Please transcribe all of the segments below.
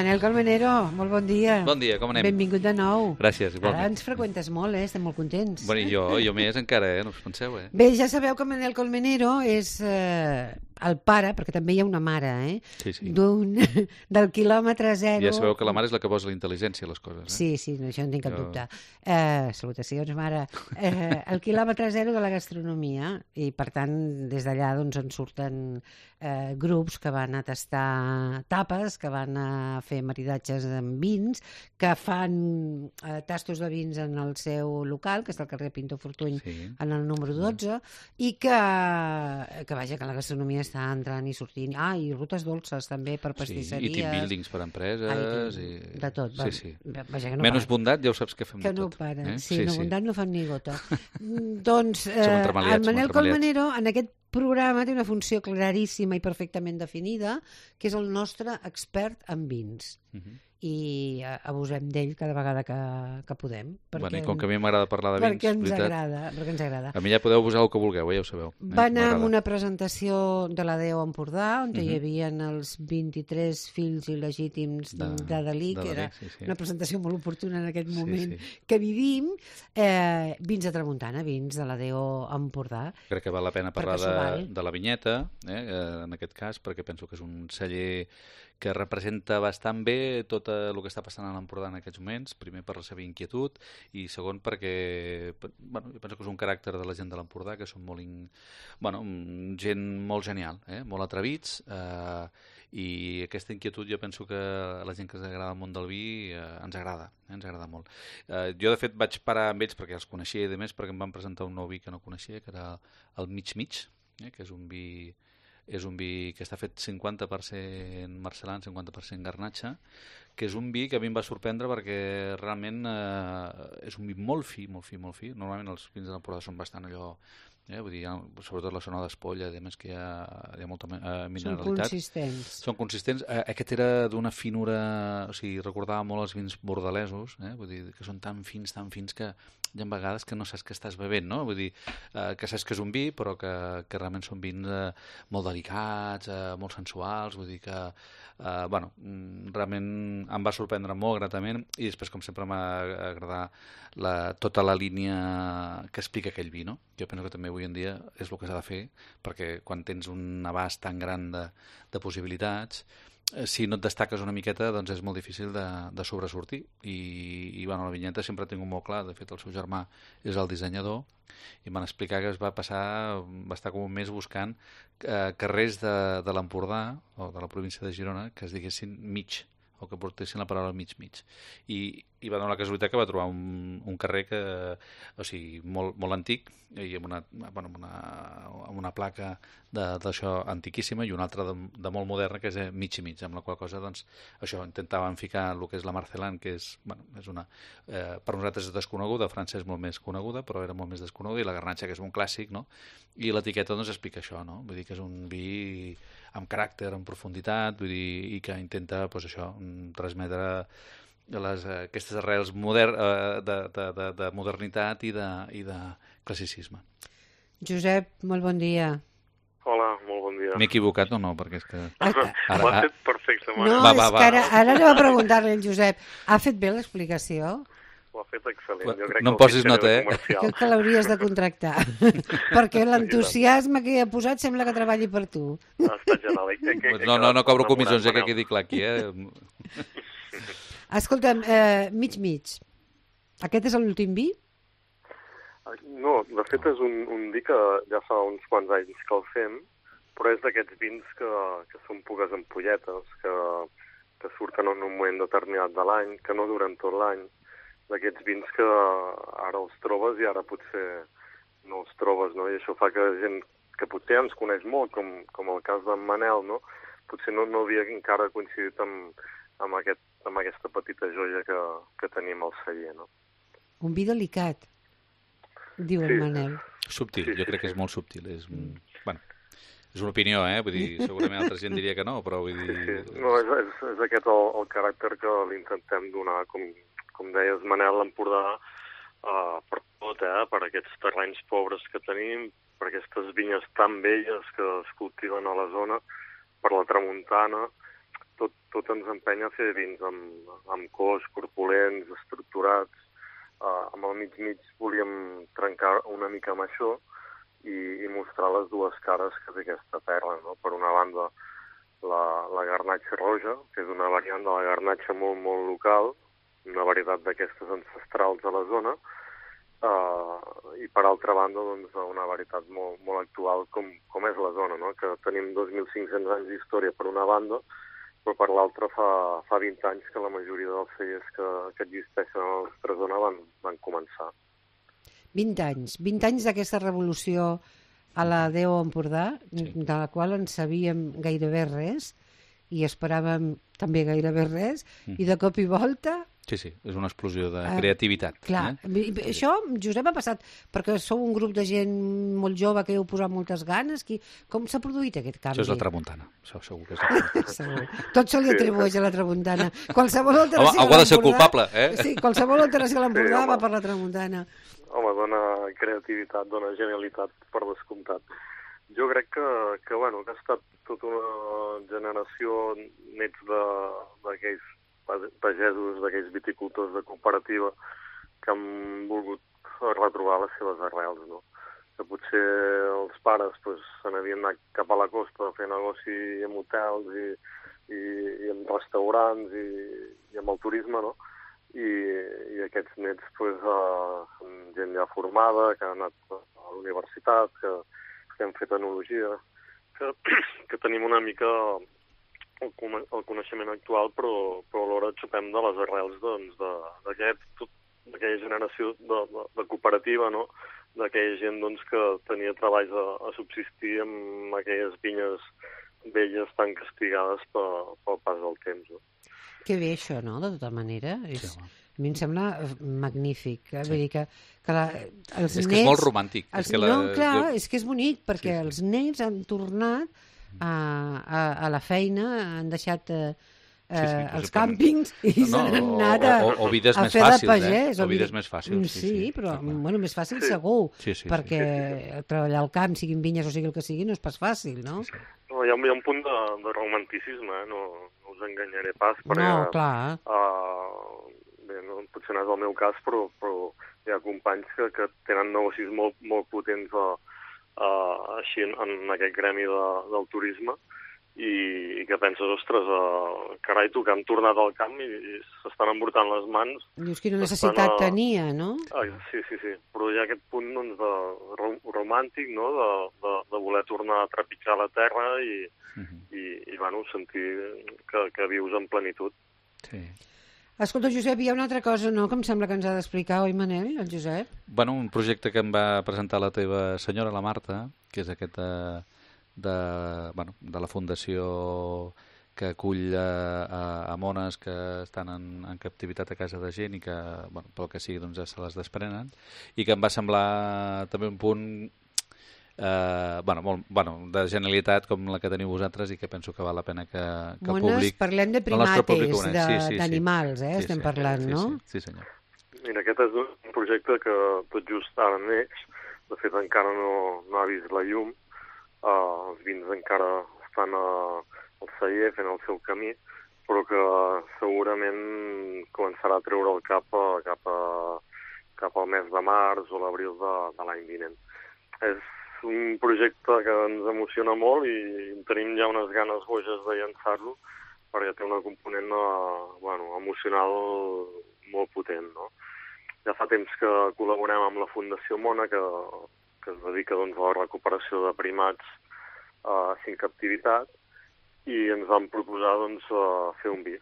Manel Colmenero, molt bon dia. Bon dia, com anem? Benvingut de nou. Gràcies, igualment. Ara ens freqüentes molt, estem molt contents. Bueno, i jo més encara, no us penseu, Bé, ja sabeu que Manel Colmenero és el pare, perquè també hi ha una mare, Sí, sí. del quilòmetre zero... Ja sabeu que la mare és la que posa la intel·ligència a les coses, Sí, no, això no tinc cap dubte. Salutacions, mare. El quilòmetre zero de la gastronomia, i per tant, des d'allà doncs, en surten grups que van a tastar tapes, que van a fer maridatges amb vins, que fan tastos de vins en el seu local, que és el carrer Pinto Fortuny, en el número 12, i que vaja, que la gastronomia està entrant i sortint. I rutes dolces també per pastisseries. I team buildings per empreses. De tot. Sí. Vaja, que no menys bondat, ja ho saps que fem que de tot. no para. Sí, bondat no fan ni gota. Doncs el Manel Colmenero en aquest programa té una funció claríssima i perfectament definida, que és el nostre expert en vins. I abusem d'ell cada vegada que podem. Bueno, i com que a mi m'agrada parlar de vins, perquè ens agrada. A mi ja podeu abusar el que vulgueu, ja ho sabeu. Va anar amb una presentació de la Déu Empordà, on hi havia els 23 fills il·legítims de Dalí, que era una presentació molt oportuna en aquest moment que vivim. Vins de tramuntana, vins de la Déu Empordà. Crec que val la pena parlar de la vinyeta, en aquest cas, perquè penso que és un celler que representa bastant bé tot el que està passant a l'Empordà en aquests moments, primer per la seva inquietud i segon perquè jo penso que és un caràcter de la gent de l'Empordà que són molt gent molt genial, molt atrevits, i aquesta inquietud jo penso que a la gent que ens agrada el món del vi ens agrada molt. Jo de fet vaig parar amb ells perquè els coneixia i de més perquè em van presentar un nou vi que no coneixia, que era el Mig Mig, que és un vi que està fet 50% marcelan, 50% garnatxa, que és un vi que a mi em va sorprendre perquè realment és un vi molt fi. Normalment els vins de l'Empordà són bastant allò, vull dir, sobretot la zona d'Espolla, a més que hi ha molta mineralitat. Són consistents. Aquest era d'una finura, o sigui, recordava molt els vins bordalesos, vull dir, que són tan fins que hi ha vegades que no saps què estàs bevent, no? Vull dir, que saps que és un vi, però que realment són vins molt delicats, molt sensuals, vull dir que, realment em va sorprendre molt gratament, i després, com sempre, m'ha agradat tota la línia que explica aquell vi, no? Jo penso que també avui en dia és el que s'ha de fer, perquè quan tens un abast tan gran de possibilitats, si no et destaques una miqueta, doncs és molt difícil de sobresortir. I la vinyeta sempre tinc molt clar, de fet el seu germà és el dissenyador, i m'han explicat que va estar com un mes buscant carrers de l'Empordà, o de la província de Girona, que es diguessin mig, o que portessin la paraula mig. I va donar la casualitat que va trobar un carrer molt antic, i amb una placa d'això antiquíssima, i una altra de molt moderna, que és mig i mig, amb la qual cosa, doncs, això, intentaven ficar el que és la Marcelan, que és una... per nosaltres és desconeguda, a França és molt més coneguda, però era molt més desconeguda, i la garnatxa, que és un clàssic, no? I l'etiqueta, doncs, explica això, no? Vull dir que és un vi amb caràcter, amb profunditat, vull dir, i que intenta, doncs, això, transmetre aquestes arrels de modernitat i de classicisme. Josep, molt bon dia. Hola, molt bon dia. M'he equivocat o no? Perquè és que... Ho has fet perfecte, No, és que ara anem a preguntar-li al Josep. Ha fet bé l'explicació? Ho ha fet excel·lent. No em posis nota, Crec que l'hauries de contractar. Perquè l'entusiasme que hi ha posat sembla que treballi per tu. Ha estat genial. No cobro comissions, que quedi clar aquí, Escolta'm, mig. Aquest és l'últim vi? No, de fet és un vi que ja fa uns quants anys que el fem, però és d'aquests vins que són poques ampolletes, que surten en un moment determinat de l'any, que no duren tot l'any, d'aquests vins que ara els trobes i ara potser no els trobes, no? I això fa que gent que potser ens coneix molt, com el cas d'en Manel, no? Potser no havia encara coincidit amb aquesta petita joia que tenim al celler, no? Un vi delicat, diu el Manel. Subtil, jo crec que és molt subtil. És una opinió, vull dir, segurament altra gent diria que no, però vull dir... Sí. No, és aquest el caràcter que li intentem donar, com deies, Manel, l'Empordà, per tot, per aquests terrenys pobres que tenim, per aquestes vinyes tan belles que es cultiven a la zona, per la tramuntana, tot ens empenya a fer vins amb cos, corpulents, estructurats. Amb el mig volíem trencar una mica amb això i mostrar les dues cares que té aquesta terra, no? Per una banda, la garnatxa roja, que és una variant de la garnatxa molt, molt local, una varietat d'aquestes ancestrals a la zona, i per altra banda, doncs, una varietat molt, molt actual com és la zona, no? Que tenim 2.500 anys d'història per una banda, però per l'altra fa 20 anys que la majoria dels cellers que existeixen a la nostra zona van començar. 20 anys d'aquesta revolució a la Déu Empordà, de la qual en sabíem gairebé res i esperàvem també gairebé res, i de cop i volta... Sí, és una explosió de creativitat. Clar, això, Josep, ha passat perquè sou un grup de gent molt jove que heu posat moltes ganes. Com s'ha produït aquest canvi? Això és la tramuntana, això segur que és la tramuntana. Tot se li atribueix a la tramuntana. Qualsevol alteració algú ha de ser culpable, Sí, qualsevol alteració a l'Empordà va per la tramuntana. Home, dona creativitat, dona genialitat, per descomptat. Jo crec que ha estat tota una generació nets d'aquells pagesos, d'aquells viticultors de cooperativa que han volgut retrobar les seves arrels, no? Que potser els pares se n'havien anat cap a la costa a fer negoci amb hotels i amb restaurants i amb el turisme, no? I aquests nets són gent ja formada, que ha anat a la universitat, que hem fet enologia, que tenim una mica el coneixement actual, però alhora xupem de les arrels d'aquella generació de cooperativa, no? D'aquella gent que tenia treballs a subsistir amb aquelles vinyes velles tan castigades pel pas del temps. No? Que bé això, no?, de tota manera. Sí, a mi em sembla magnífic. Vull dir que els nets... És que és molt romàntic. És que és bonic, perquè els nets han tornat a la feina, han deixat els càmpings i s'han anat a vides més fer de fàcils, pagès. O vides més fàcils. Sí, però més fàcil segur, perquè treballar al camp, siguin vinyes o sigui el que sigui, no és pas fàcil, no? No, hi ha un punt de romanticisme, no us enganyaré pas, perquè... No, clar. Potser no és el meu cas, però hi ha companys que tenen negocis molt, molt potents així en aquest gremi del turisme i que penses, ostres, carai, tu, que han tornat al camp i s'estan embrutant les mans. Dius, quina necessitat tenia, no? Sí, però hi ha aquest punt romàntic, no?, de voler tornar a trepitjar la terra i sentir que vius en plenitud. Sí. Escolta, Josep, hi ha una altra cosa, no?, que em sembla que ens ha d'explicar, oi, Manel, el Josep? Bueno, un projecte que em va presentar la teva senyora, la Marta, que és aquest de la fundació que acull a mones que estan en captivitat a casa de gent i que, pel que sigui, doncs ja se les desprenen, i que em va semblar també un punt de genialitat com la que teniu vosaltres i que penso que val la pena que el públic... Parlem de primates, d'animals, estem parlant, no? Sí, senyor. Mira, aquest és un projecte que tot just ara neix, de fet encara no ha vist la llum, els vins encara estan al celler fent el seu camí, però que segurament començarà a treure el cap al mes de març o l'abril de l'any vinent. És un projecte que ens emociona molt i tenim ja unes ganes boges de llançar-lo perquè té una component emocional molt potent, no? Ja fa temps que col·laborem amb la Fundació Mona, que es dedica a la recuperació de primats en captivitat, i ens van proposar fer un vi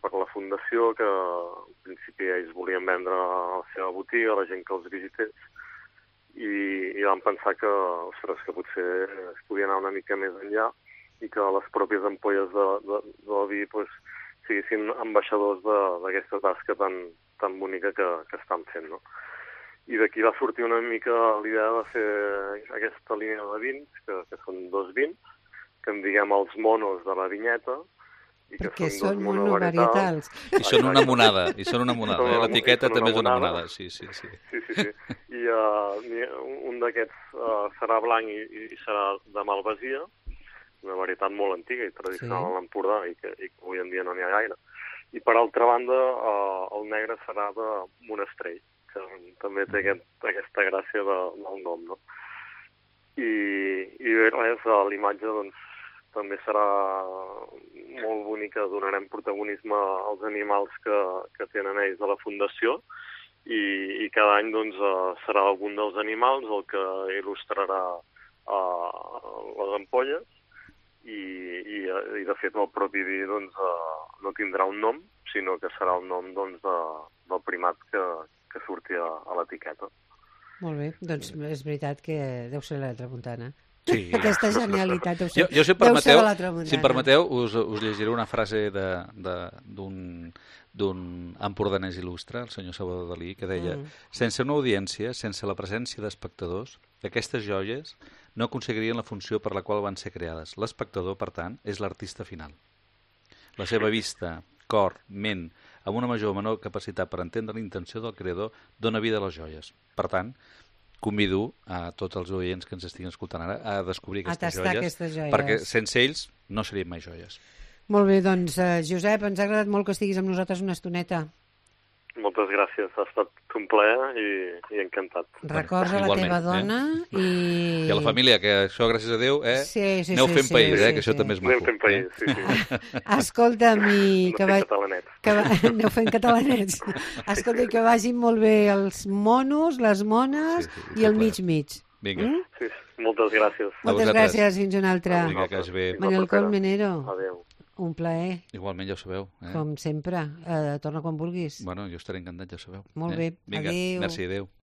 per la Fundació, que en principi ells volien vendre a la seva botiga, a la gent que els visités, i vam pensar que potser es podia anar una mica més enllà i que les pròpies ampolles del vi siguessin ambaixadors d'aquesta tasca tan bonica que estan fent, no? I d'aquí va sortir una mica l'idea de fer aquesta línia de vins, que són 2 vins, que en diguem els monos de la vinyeta, i que perquè són monovarietals. I són una monada, l'etiqueta també és una monada. Sí. I un d'aquests serà blanc i serà de malvasia, una varietat molt antiga i tradicional a l'Empordà i que avui en dia no n'hi ha gaire. I per altra banda, el negre serà de Monestrell, que també té aquesta gràcia del nom, no? I res, l'imatge doncs, també serà molt bonica, donarem protagonisme als animals que tenen ells a la Fundació i cada any doncs, serà algun dels animals el que il·lustrarà les ampolles i de fet el propi vi doncs, no tindrà un nom, sinó que serà el nom doncs, del primat que surti a l'etiqueta. Molt bé, doncs és veritat que deu ser la Tramuntana. Sí. Aquesta genialitat deu ser, Jo, si deu ser de la Tramuntana. em permeteu, us llegiré una frase d'un empordanès il·lustre, el senyor Salvador Dalí, que deia sense una audiència, sense la presència d'espectadors, aquestes joies no aconseguirien la funció per la qual van ser creades. L'espectador, per tant, és l'artista final. La seva vista, cor, ment, amb una major o menor capacitat per entendre la intenció del creador, dona vida a les joies. Per tant, convido a tots els oients que ens estiguin escoltant ara a descobrir aquestes joies, perquè sense ells no serien mai joies. Molt bé, doncs, Josep, ens ha agradat molt que estiguis amb nosaltres una estoneta. Moltes gràcies, ha estat un plaer i encantat. Records a la teva dona i a la família, que això, gràcies a Déu, aneu fent país, que això també és maco. Anem fent país, sí. Escolta'm, i que catalanets. Aneu fent catalanets. Escolta, que vagin molt bé els monos, les mones i el mig-mig. Vinga. Sí, moltes gràcies. Moltes gràcies, fins una altra. Vinga, que vagi bé. Manel Colmenero. Adéu. Un plaer. Igualment, ja ho sabeu. Com sempre. Torna quan vulguis. Bueno, jo estaré encantat, ja ho sabeu. Molt bé. Vinga, adéu. merci, adéu.